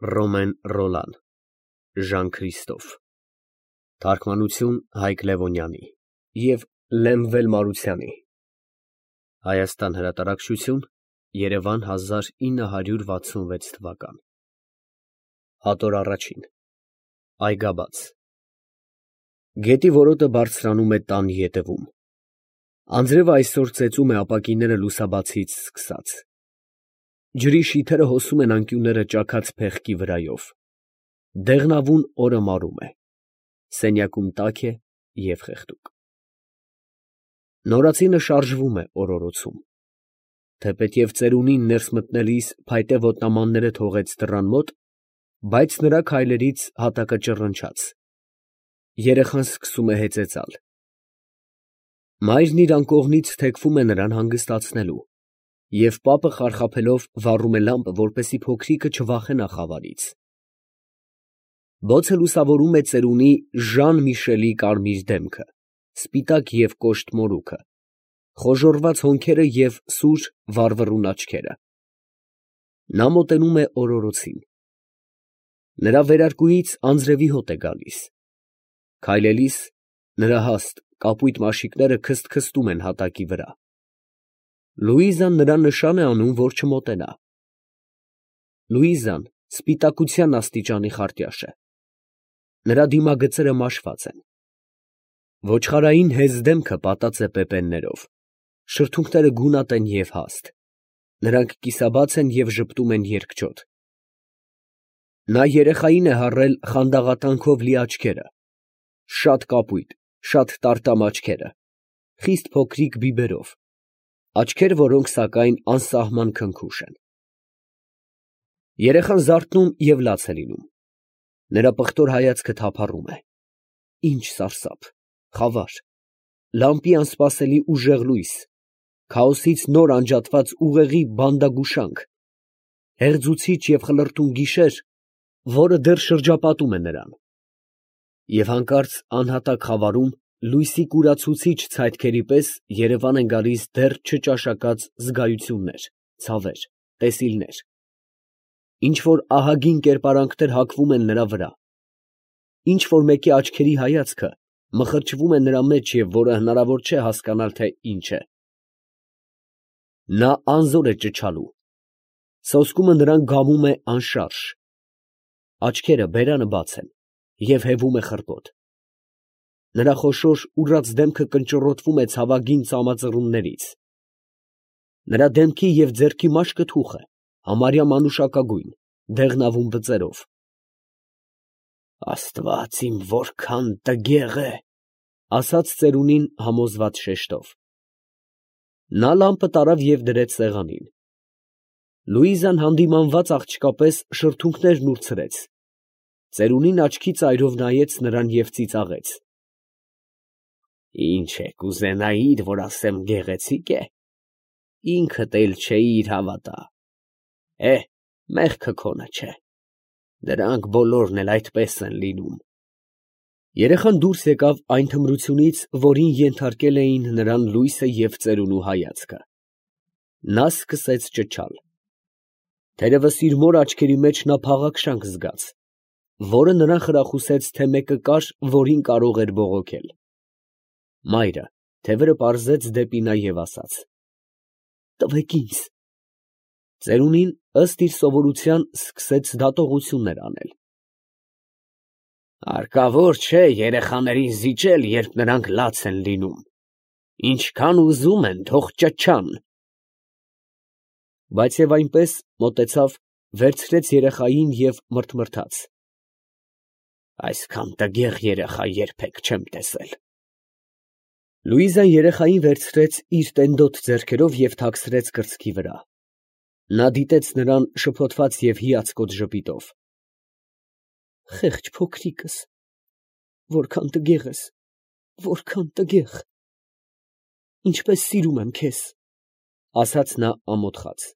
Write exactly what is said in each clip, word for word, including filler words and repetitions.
Ռոմեն Ռոլան, Ժան Քրիստոֆ, թարգմանություն Հայկ Լևոնյանի և Լեմվել Մարությանի, Հայաստան հրատարակչություն, Երևան հազար ինը հարյուր վաթսունվեց թվական, հատոր առաջին, Այգաբաց, գետի որոտը բարձրանում է տան ետևում, անձրևը այսօր ծեծում է ապակիները լուսաբացից սկսած, ջրի շիթերը հոսում են անկյունները ճաքած փեղկի վրայով, դեղնավուն օրը մարում է, սենյակում տաք է և խեղդուկ։ Նորածինը շարժվում է օրորոցում, թեպետև ծերունին ներս մտնելիս փայտե ոտնամանները թողեց դռան մոտ, բայց նրա քայլերից հատակը ճռնչաց, երեխան սկսում է հեծեծալ։ Մայրն իր անկողնից թեքվում է նրան հանգստացնելու, և պապը խարխափելով վառում է լամպը, որպեսզի փոքրիկը չվախենա խավարից։ Բոցը լուսավորում է ծերունի Ժան Միշելի կարմիր դեմքը, սպիտակ և կոշտ մորուքը, խոժոռված հոնքերը և սուր վառվռուն աչքերը։ Նա մոտենում է օրորոցին։ Նրա վերարկուից անձրևի հոտ է գալիս։ Քայլելիս նրա հաստ, կապույտ մաշիկները քսթքսթում են հատակի վրա։ Լուիզան նրան նշան է անում, որ չմոտենա։ Լուիզան սպիտակության աստիճանի խարտյաշ է։ Նրա դիմագծերը մաշված են։ Ոչխարային հեզ դեմքը պատած է պեպեններով, շրթունքները գունատ են և հաստ, նրանք կիսաբաց են և ժպտում են երկչոտ։ Նա երեխային է հառել խանդաղատանքով լի աչքերը, շատ կապույտ, շատ տարտամ աչքերը, խիստ փոքրիկ բիբերով, աչքեր, որոնք, սակայն, անսահման քնքուշ են։ Երեխան զարթնում և լաց է լինում։ Նրա պղտոր հայացքը թափառում է։ Ինչ սարսափ, խավար, լամպի անսպասելի ուժեղ լույս, քաոսից նոր անջատված ուղեղի բանդագուշանք, հեղձուցիչ և խլրտում գիշեր, որը դեռ շրջապատում է նրան։ Եվ հանկարծ անհատակ խավարում լույսի կուրացուցիչ ցայտքերի պես երևան են գալիս դեռ չճաշակած զգայություններ, ցավեր, տեսիլներ, ինչ֊որ ահագին կերպարանքներ հակվում են նրա վրա, ինչ֊որ մեկի աչքերի հայացքը մխրճվում է նրա մեջ և որը հնարավոր չէ հասկանալ, թե ինչ է։ Նա անզոր է ճչալու, սոսկումը նրան գալում է անշարժ, աչքերը բերանը բաց են և հևում է խռպոտ։ Նրա խոշոր ուռած դեմքը կնճռոտվում է ցավագին ծամածռուններից։ Նրա դեմքի և ձեռքի մաշկը թուխ է, համարյա մանուշակագույն, դեղնավուն բծերով։ Աստված իմ, որքան տգեղ է, ֊ ասաց ծերունին համոզված շեշտով։ Նա լամպը տարավ և դրեց սեղանին։ Լուիզան հանդիմանված աղջկա պես շրթունքներն ուրցրեց։ Ծերունին աչքի ծայրով նայեց նրան և ծիծաղեց։ Ինչ է կուզենայիր, որ ասեմ, գեղեցի՞կ է։ Ինքդ էլ չէիր հավատա։ Է, մեղքը քոնը չէ։ Դրանք բոլորն էլ այդպես են լինում։ Երեխան դուրս եկավ այն թմրությունից, որին ենթարկել էին նրան լույսը և ծերունու հայացքը։ Նա սկսեց ճչալ։ Թերևս իր մոր աչքերի մեջ նա փաղաքշանք զգաց, որը նրան խրախուսեց, թե մեկը կար, որին կարող էր բողոքել։ Մայրը թևերը պարզեց դեպի նա և ասաց. «Տվեք ինձ»։ Ծերունին, ըստ իր սովորության, սկսեց դատողություններ անել։ Հարկավոր չէ երեխաներին զիջել, երբ նրանք լաց են լինում։ Ինչքան ուզում են, թող ճչան։ Բայց և այնպես մոտեցավ, վերցրեց երեխային և մռթմռթաց. Այսքան տգեղ երեխա երբեք չեմ տեսել։ Լուիզան երեխային վերցրեց իր տենդոտ ձեռքերով և թաքցրեց կրծքի վրա։ Նա դիտեց նրան շփոթված և հիացկոտ ժպիտով։ Խեղճ փոքրիկս, որքան տգեղ ես, որքան տգեղ։ Ինչպես սիրում եմ քեզ, ֊ ասաց նա ամոթխած։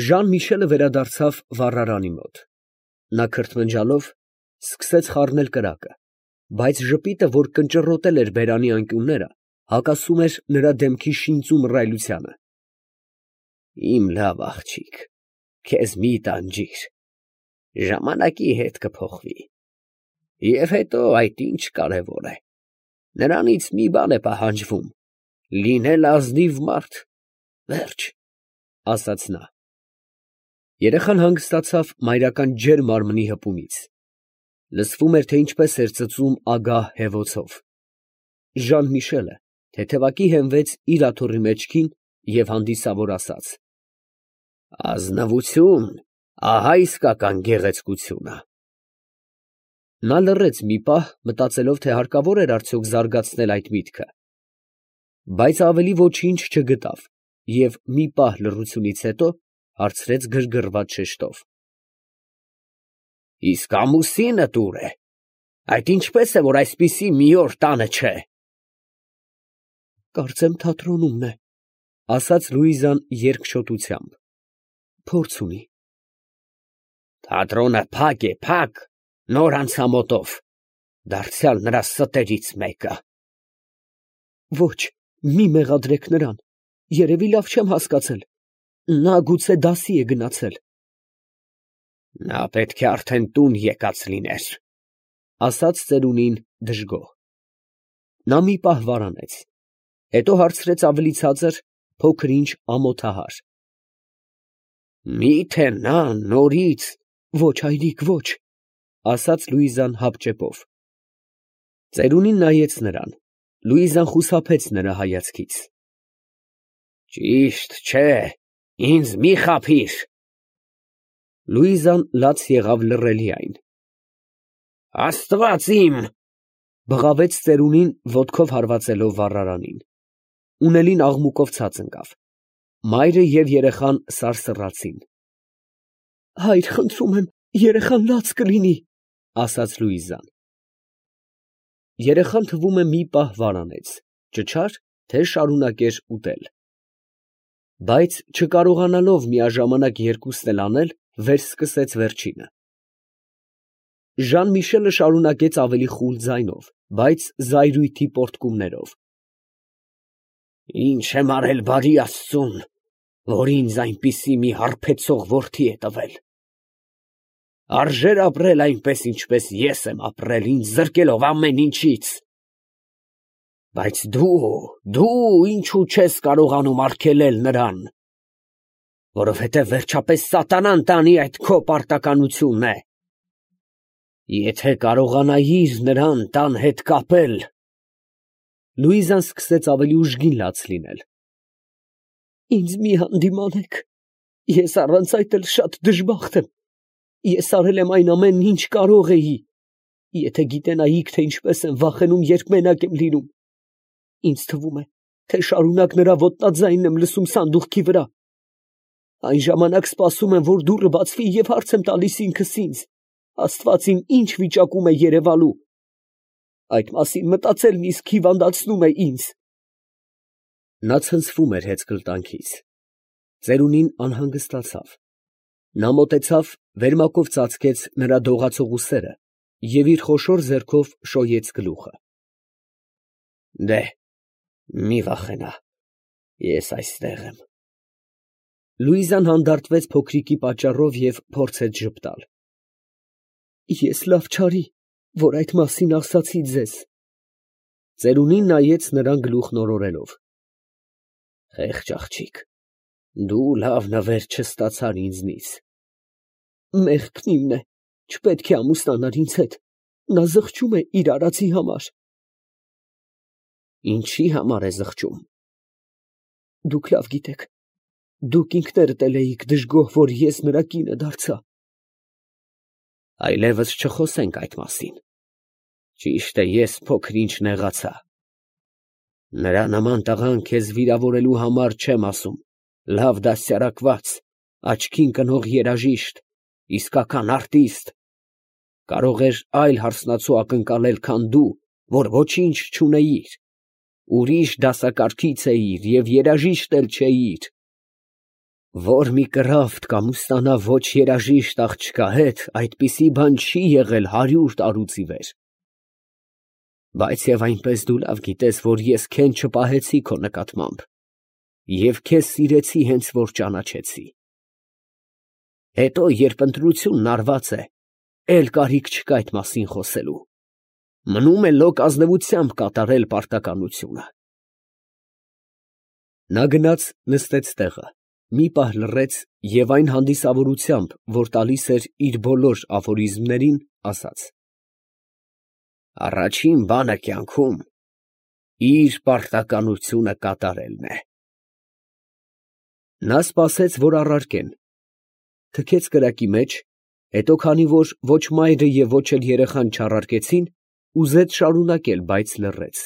Ժան Միշելը վերադարձավ վառարանի մոտ։ Նա քրթմնջալով սկսեց խառնել կրակը, բայց ժպիտը, որ կնճռոտել էր բերանի անկյունները, հակասում էր նրա դեմքի շինծու մռայլությանը։ Իմ լավ աղջիկ, քեզ մի տանջիր։ ժամանակի հետ կփոխվի։ Եվ հետո այդ ինչ կարևոր է, նրանից մի բան է պահանջվում, լինել ազնիվ մարդ, վերջ, ասաց նա։ Երեխան հանգստացավ մայրական ջերմ մարմնի հպումից, լսվում էր, թե ինչպես էր ծծում ագահ հևոցով։ Ժան֊Միշելը թեթևակի հենվեց իր աթոռի մեջքին և հանդիսավոր ասաց. ազնվություն, ահա իսկական գեղեցկությունը։ Նա լռեց մի պահ, մտածելով, թե հարկավոր էր արդյոք զարգացնել այդ միտքը, բայց ավելի ոչինչ չգտավ և մի պահ լռությունից հետո հարցրեց գրգռված շեշտով. իսկ ամուսինդ ո՞ւր է, այդ ինչպես է, որ այսպիսի մի օր տանը չէ։ Կարծեմ թատրոնում է, ասաց Լուիզան երկչոտությամբ, փորձ ունի։ Թատրոնը փակ է, փակ, նոր անցամոտով, դարձյալ նրա ստերից մեկը։ Ոչ, մի մեղադրեք նրան, երևի լավ չեմ հասկացել, նա գուցե դասի է գնացել։ Նա պետք է արդեն տուն եկած լիներ, ասաց ծերունին դժգոհ։ Նա մի պահ վարանեց, հետո հարցրեց ավելի ցածր, փոքր-ինչ ամոթահար. Մի՞թե նա նորից… Ոչ, հայրիկ, ոչ, ասաց Լուիզան հապճեպով։ Ծերունին նայեց նրան, Լուիզան խուսափեց նրա հայացքից։ Ճիշտ չէ, ինձ մի խաբիր։ Լուիզան լաց եղավ լռելիայն։ Աստված իմ… բղավեց ծերունին ոտքով հարվածելով վառարանին։ Ունելին աղմուկով ցած ընկավ։ Մայրը և երեխան սարսռացին։ Հայր, խնդրում եմ, երեխան լաց կլինի, ասաց Լուիզան։ Երեխան թվում է մի պահ վարանեց, ճչար, թե շարունակեր ուտել։ Բայց չկարողանալով միաժամանակ երկուսն էլ անել, վերսկսեց վերջինը։ Ժան֊Միշելը շարունակեց ավելի խուլ ձայնով, բայց զայրույթի պոռթկումներով. Ինչ եմ արել բարի Աստծուն, որ ինձ այնպիսի մի հարբեցող որդի է տվել։ Արժե՞ր ապրել այնպես, ինչպես ես եմ ապրել, ինձ զրկելով ամեն ինչից։ Բայց դու, դու ինչու չես կարողանում արգելել նրան, որովհետև վերջապես սատանան տանի այդ քո պարտականությունն է։ Եթե կարողանայիր նրան տան հետ կապել… Լուիզան սկսեց ավելի ուժգին լաց լինել։ Ինձ մի հանդիմանեք, ես առանց այդ էլ շատ դժբախտ եմ, ես արել եմ այն ամենն, ինչ կարող էի, եթե գիտենայիք, թե ինչպես եմ վախենում, երբ մենակ եմ լինում, ինձ թվում է, թե շարունակ նրա ոտնաձայնն եմ լսում սանդուղքի վրա, այն ժամանակ սպասում եմ, որ դուռը բացվի և հարց եմ տալիս ինքս ինձ, Աստված իմ ինչ վիճակում է երևալու, այդ մասին մտածելն իսկ հիվանդացնում է ինձ։ Նա ցնցվում էր հեծկլտանքից։ Ծերունին անհանգստացավ։ Նա մոտեցավ, վերմակով ծածկեց նրա դողացող ուսերը և իր խոշոր ձեռքով շոյեց գլուխը։ Դե, մի վախենա, ես այստեղ եմ։ Լուիզան հանդարտվեց փոքրիկի պատճառով և փորձեց ժպտալ։ Ես լավ չարի, որ այդ մասին ասացի ձեզ։ Ծերունին նայեց նրան գլուխն օրորելով։ Խեղճ աղջիկ, դու լավ նվեր չստացար ինձնից։ Մեղքն իմն է, չպետք է ամուսնանար ինձ հետ, նա զղջում է իր արածի համար։ Ինչի համար է զղջում։ Դուք լավ գիտեք, դուք ինքներդ էլ էիք դժգոհ, որ ես նրա կինը դարձա։ Այլևս չխոսենք այդ մասին։ Ճիշտ է, ես փոքր-ինչ նեղացա։ Նրա նման տղան քեզ վիրավորելու համար չեմ ասում, լավ դաստիարակված, աչքին կնող երաժիշտ, իսկական արտիստ, կարող էր այլ հարսնացու ակնկալել, քան դու, որ ոչինչ չունեիր, ուրիշ դասակարգից էիր և երաժիշտ էլ չէիր։ Որ մի կռավտ կամուսնանա ոչ երաժիշտ աղջկա հետ, այդպիսի բան չի եղել հարյուր տարուց ի վեր։ Բայց և այնպես դու լավ գիտես, որ ես քեն չպահեցի քո նկատմամբ և քեզ սիրեցի, հենց որ ճանաչեցի։ Հետո, երբ ընտրությունն արված է, էլ կարիք չկա այդ մասին խոսելու. մնում է լոկ ազնվությամբ կատարել պարտականությունը։ Նա գնաց նստեց տեղը, մի պահ լռեց և այն հանդիսավորությամբ, որ տալիս էր իր բոլոր աֆորիզմներին, ասաց. «Առաջին բանը կյանքում իր պարտականությունը կատարելն է»։ Նա սպասեց, որ առարկեն, թքեց կրակի մեջ, հետո քանի որ ոչ մայրը և ոչ էլ երեխան չառարկեցին, ուզեց շարունակել, բայց լռեց։